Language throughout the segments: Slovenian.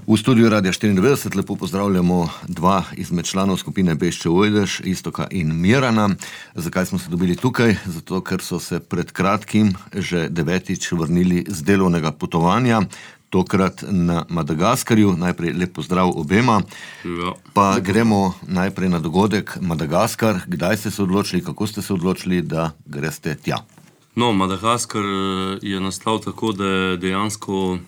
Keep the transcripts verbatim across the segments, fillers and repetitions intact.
V studiu Radia štiriindevetdeset lepo pozdravljamo dva izmed članov skupine Bešče Ojdež, Iztoka in Mirana. Zakaj smo se dobili tukaj? Zato, ker so se pred kratkim že devetič vrnili z delovnega potovanja, tokrat na Madagaskarju. Najprej lep pozdrav obema. Ja. Pa gremo najprej na dogodek Madagaskar. Kdaj ste se odločili, kako ste se odločili, da greste tja? No, Madagaskar je nastal tako, da je dejansko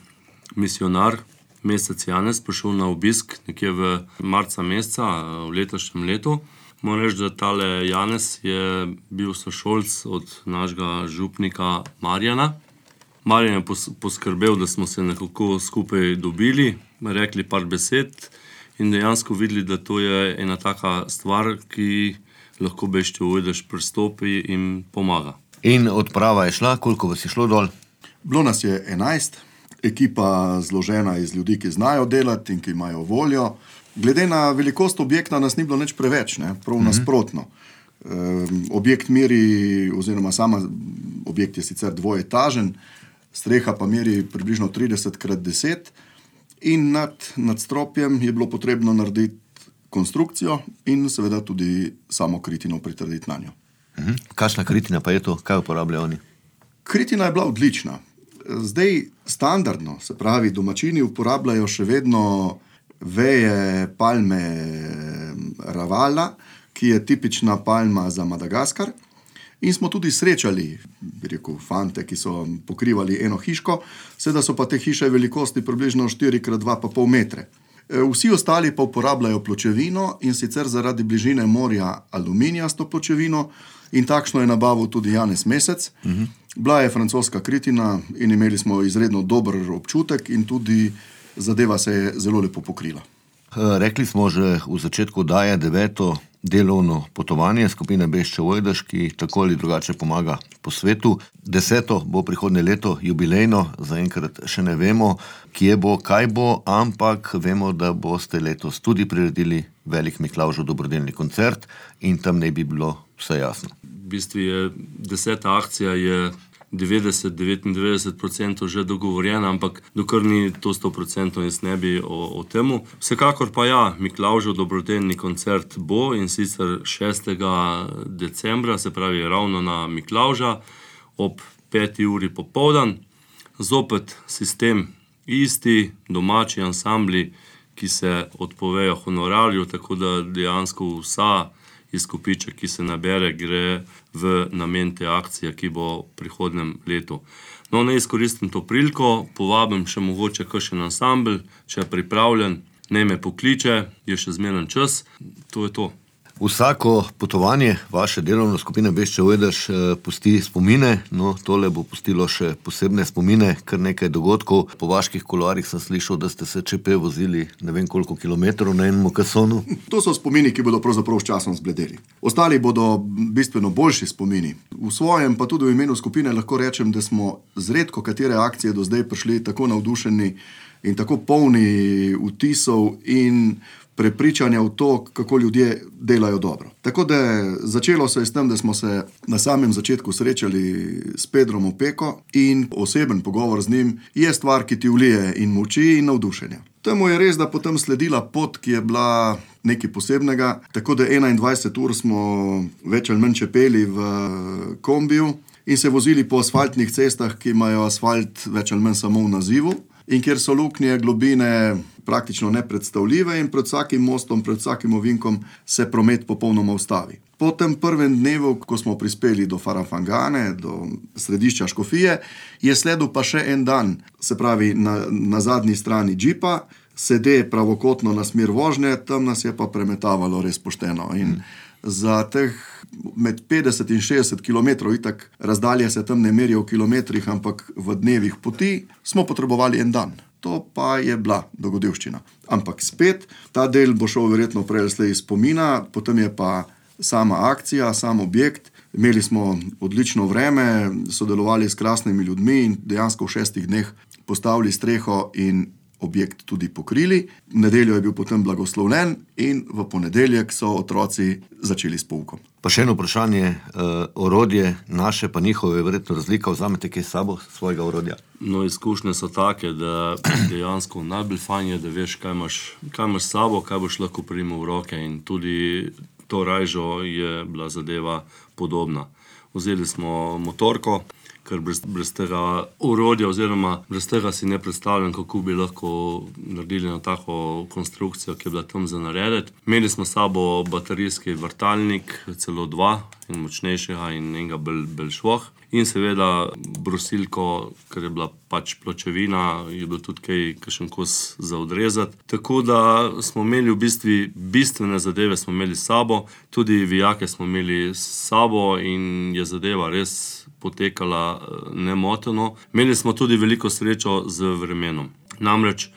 misionar mesec Janez prišel na obisk nekje v marca meseca v letošnjem letu. Moram reči, da tale Janez je bil sošolc od našega župnika Marjana. Marjan je poskrbel, da smo se nekako skupaj dobili, rekli par besed in dejansko videli, da to je ena taka stvar, ki lahko Bešče Ojdež pristopi in pomaga. In odprava je šla, koliko vas je šlo dol? Bilo nas je enajst, ekipa zložena iz ljudi, ki znajo delati in ki imajo voljo. Glede na velikost objekta nas ni bilo nič preveč, ne? Prav mm-hmm. nasprotno. E, objekt meri, oziroma sama objekt je sicer dvoetažen, streha pa meri približno trideset krat deset in nad, nad stropjem je bilo potrebno narediti konstrukcijo in seveda tudi samo kritino pritrditi na njo. Mhm. Kakšna kritina pa je to? Kaj uporabljajo oni? Kritina je bila odlična. Zdaj standardno, se pravi, domačini uporabljajo še vedno veje palme ravala, ki je tipična palma za Madagaskar. In smo tudi srečali, bi rekel, fante, ki so pokrivali eno hiško, seveda so pa te hiše velikosti približno štiri krat dva pa pol metre. Vsi ostali pa uporabljajo pločevino in sicer zaradi bližine morja aluminijasto pločevino in takšno je nabavil tudi Janez Mesec. Uh-huh. Bila je francoska kritina in imeli smo izredno dober občutek in tudi zadeva se je zelo lepo pokrila. Rekli smo že v začetku, da je deveto delovno potovanje skupine Bešče Ojdež, ki tako ali drugače pomaga po svetu. Deseto bo prihodnje leto jubilejno, zaenkrat še ne vemo, kje bo, kaj bo, ampak vemo, da boste letos tudi priredili velik Miklavžev dobrodelni koncert in tam ne bi bilo vse jasno. V bistvu je deseta akcija je devetdeset do devetindevetdeset procentov že dogovorjena, ampak dokler ni to sto procentov, jaz ne bi o, o temu. Vsekakor pa ja, Miklavžev dobrodelni koncert bo in sicer šestega decembra, se pravi ravno na Miklavža, ob peti uri popoldan. Zopet sistem isti, domači ansambli, ki se odpovejo honorarju, tako da dejansko vsa izkupiček, ki se nabere, gre v namen te akcije, ki bo v prihodnem letu. No, ne izkoristim to priliko, povabim še mogoče kakšen ansambel, če je pripravljen, naj me pokliče, je še zmeren čas, to je to. Vsako potovanje vaše delovne skupine Bešče Ojdež pusti spomine, no tole bo pustilo še posebne spomine, kar nekaj dogodkov. Po vaških kuloarjih sem slišal, da ste se čepe vozili ne vem koliko kilometrov na enem kasonu. To so spomini, ki bodo pravzaprav s časom zbledeli. Ostali bodo bistveno boljši spomini. V svojem, pa tudi v imenu skupine lahko rečem, da smo z redko katere akcije do zdaj prišli tako navdušeni in tako polni vtisov in prepričanja v to, kako ljudje delajo dobro. Tako da začelo se je s tem, da smo se na samem začetku srečali s Pedrom Opeko in oseben pogovor z njim je stvar, ki ti vlije in moči in navdušenja. Temu je res, da potem sledila pot, ki je bila nekaj posebnega, tako da enaindvajset ur smo več ali manj čepeli v kombiju in se vozili po asfaltnih cestah, ki imajo asfalt več ali manj samo v nazivu in kjer so luknje, globine praktično nepredstavljive in pred vsakim mostom, pred vsakim ovinkom se promet popolnoma ustavi. Po tem prvem dnevu, ko smo prispeli do Farafangane, do središča Škofije, je sledil pa še en dan, se pravi na, na zadnji strani džipa, sede pravokotno na smer vožnje, tam nas je pa premetavalo res pošteno. In za teh med petdeset in šestdeset kilometrov, itak razdalje se tam ne merijo v kilometrih, ampak v dnevih poti, smo potrebovali en dan. To pa je bila dogodivščina. Ampak spet, ta del bo šel verjetno prej slej iz spomina, potem je pa sama akcija, sam objekt. Imeli smo odlično vreme, sodelovali s krasnimi ljudmi in dejansko v šestih dneh postavili streho in objekt tudi pokrili. V nedeljo je bil potem blagoslovljen in v ponedeljek so otroci začeli s poukom. Pa še eno vprašanje, uh, orodje naše pa njihove je verjetno razlika, vzamete kaj s sabo svojega orodja? No, izkušnje so take, da dejansko najbolj fajn je, da veš, kaj imaš, kaj imaš s sabo, kaj boš lahko primal v roke, in tudi to rajžo je bila zadeva podobna. Vzeli smo motorko, ker brez, brez tega orodja oziroma brez tega si ne predstavljam, kako bi lahko naredili na tako konstrukcijo, ki je bila tam za narediti. Imeli smo s sabo baterijski vrtalnik, celo dva, in močnejšega in enega bolj, bolj švoh. In seveda brusilko, ker je bila pač pločevina, je bilo tudi kaj, kakšen kos za odrezati. Tako da smo imeli v bistvu bistvene zadeve smo imeli s sabo, tudi vijake smo imeli s sabo in je zadeva res potekala nemoteno. Imeli smo tudi veliko srečo z vremenom. Namreč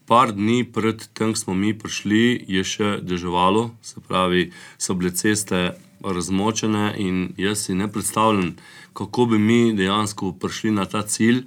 par dni pred tem, ko smo mi prišli, je še deževalo, se pravi, so bile ceste razmočene in jaz si ne predstavljam, kako bi mi dejansko prišli na ta cilj,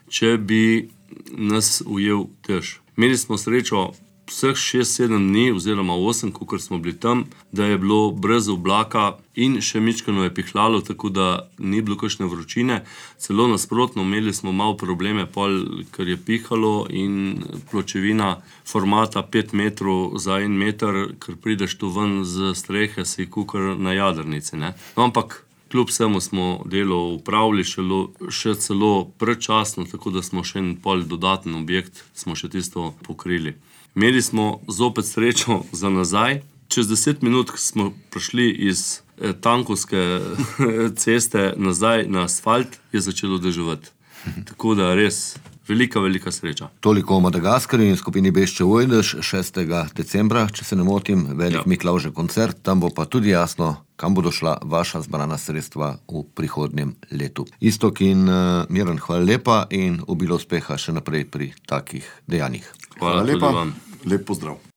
če bi nas ujel dež. Imeli smo srečo vseh šest sedem dni oziroma osem, kakor smo bili tam, da je bilo brez oblaka in še mičkano je pihlalo, tako da ni bilo kakšne vročine. Celo nasprotno, imeli smo malo probleme, pol, ker je pihalo in pločevina formata pet metrov za en meter, ker prideš tu ven z strehe, si kakor na jadrnici, ne. No, ampak kljub vsemu smo delo upravili šelo, še celo predčasno, tako da smo še en pol dodaten objekt, smo še tisto pokrili. Imeli smo zopet srečo za nazaj. Čez deset minut smo prišli iz eh, tankovske ceste nazaj na asfalt, je začelo deževati. Tako da res velika, velika sreča. Toliko o Madagaskarju in skupini Bešče-Ojdež šestega decembra, če se ne motim, velik ja. Miklavžev koncert, tam bo pa tudi jasno, kam bodo šla vaša zbrana sredstva v prihodnjem letu. Iztok in uh, Miran, hvala lepa in obilo uspeha še naprej pri takih dejanjih. Hvala, hvala lepa, vam. Lep pozdrav.